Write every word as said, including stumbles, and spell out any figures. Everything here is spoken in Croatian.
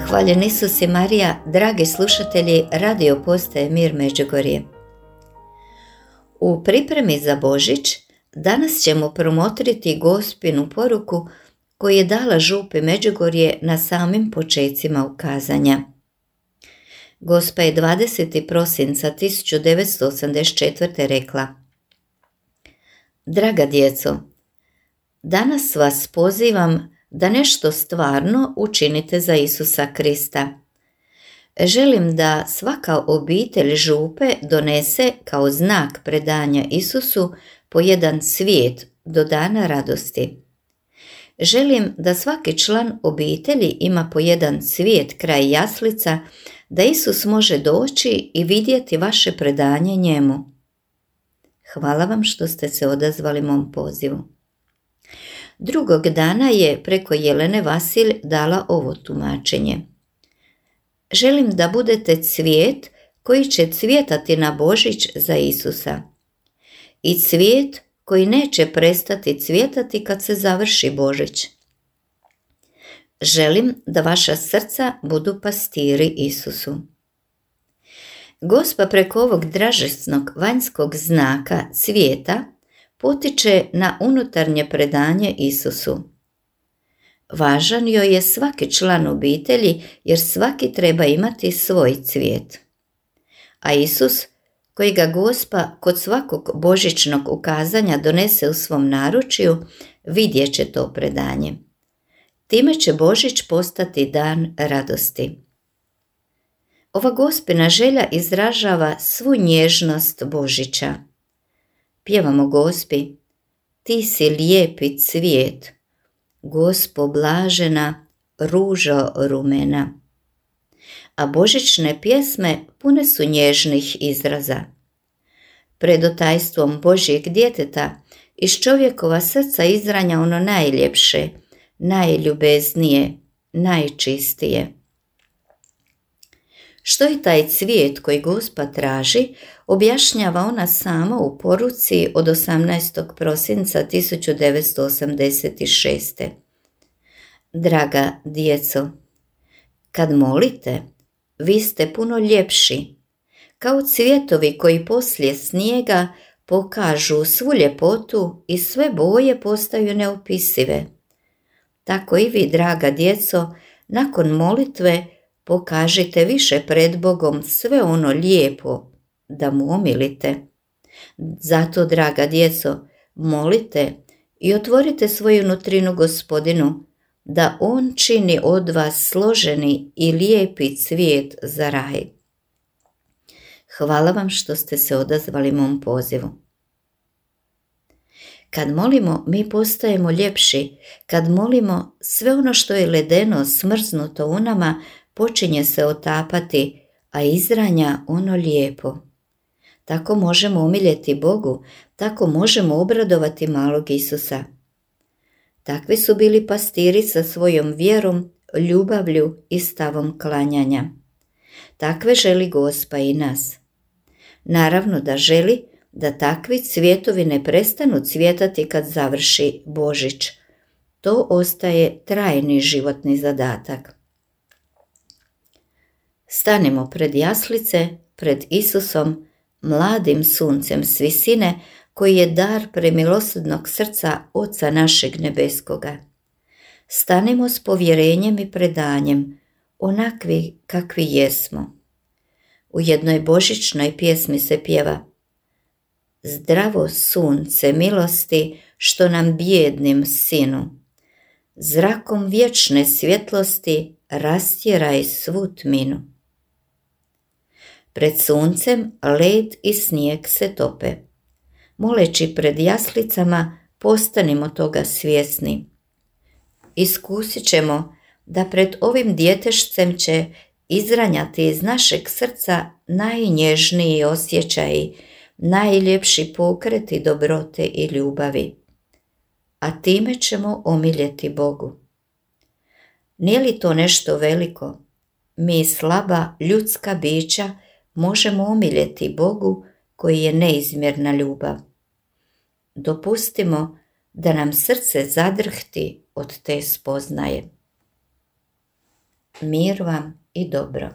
Hvaljen Isus i Marija, dragi slušatelji radio postaje Mir Međugorje. U pripremi za Božić danas ćemo promotriti Gospinu poruku koju je dala župi Međugorje na samim počecima ukazanja. Gospa je dvadesetog prosinca tisuću devetsto osamdeset četvrte rekla: Draga djeco, danas vas pozivam da nešto stvarno učinite za Isusa Krista. Želim da svaka obitelj župe donese kao znak predanja Isusu po jedan cvijet do dana radosti. Želim da svaki član obitelji ima po jedan cvijet kraj jaslica, da Isus može doći i vidjeti vaše predanje njemu. Hvala vam što ste se odazvali mom pozivu. Drugog dana je preko Jelene Vasilj dala ovo tumačenje. Želim da budete cvijet koji će cvjetati na Božić za Isusa. I cvijet koji neće prestati cvjetati kad se završi Božić. Želim da vaša srca budu pastiri Isusu. Gospa preko ovog dražesnog vanjskog znaka cvijeta potiče na unutarnje predanje Isusu. Važan joj je svaki član obitelji jer svaki treba imati svoj cvijet. A Isus, koji ga Gospa kod svakog božićnog ukazanja donese u svom naručju, vidjet će to predanje. Time će Božić postati dan radosti. Ova Gospina želja izražava svu nježnost Božića. Pjevamo Gospi: Ti si lijepi cvijet, Gospo blažena, ružo rumena. A božićne pjesme pune su nježnih izraza. Pred otajstvom Božjeg djeteta iz čovjekova srca izranja ono najljepše, najljubeznije, najčistije. Što je taj cvijet koji Gospa traži, objašnjava ona sama u poruci od osamnaestog prosinca tisuću devetsto osamdeset šeste. Draga djeco, kad molite, vi ste puno ljepši, kao cvjetovi koji poslije snijega pokažu svu ljepotu i sve boje postaju neopisive. Tako i vi, draga djeco, nakon molitve pokažite više pred Bogom sve ono lijepo da mu omilite. Zato, draga djeco, molite i otvorite svoju nutrinu Gospodinu, da on čini od vas složeni i lijepi cvijet za raj. Hvala vam što ste se odazvali mom pozivu. Kad molimo, mi postajemo ljepši. Kad molimo, sve ono što je ledeno, smrznuto u nama, počinje se otapati, a izranja ono lijepo. Tako možemo omiljeti Bogu, tako možemo obradovati malog Isusa. Takvi su bili pastiri sa svojom vjerom, ljubavlju i stavom klanjanja. Takve želi Gospa i nas. Naravno da želi da takvi cvjetovi ne prestanu cvjetati kad završi Božić. To ostaje trajni životni zadatak. Stanimo pred jaslice, pred Isusom, mladim suncem s visine, koji je dar premilosrdnog srca Oca našeg nebeskoga. Stanimo s povjerenjem i predanjem, onakvi kakvi jesmo. U jednoj božićnoj pjesmi se pjeva: Zdravo sunce milosti, što nam bijednim sinu, zrakom vječne svjetlosti rastjeraj svu tminu. Pred suncem led i snijeg se tope. Moleći pred jaslicama, postanimo toga svjesni. Iskusit ćemo da pred ovim djetešcem će izranjati iz našeg srca najnježniji osjećaji, najljepši pokreti dobrote i ljubavi. A time ćemo omiljeti Bogu. Nije li to nešto veliko? Mi, slaba ljudska bića, možemo omiljeti Bogu koji je neizmjerna ljubav. Dopustimo da nam srce zadrhti od te spoznaje. mir vam i dobro.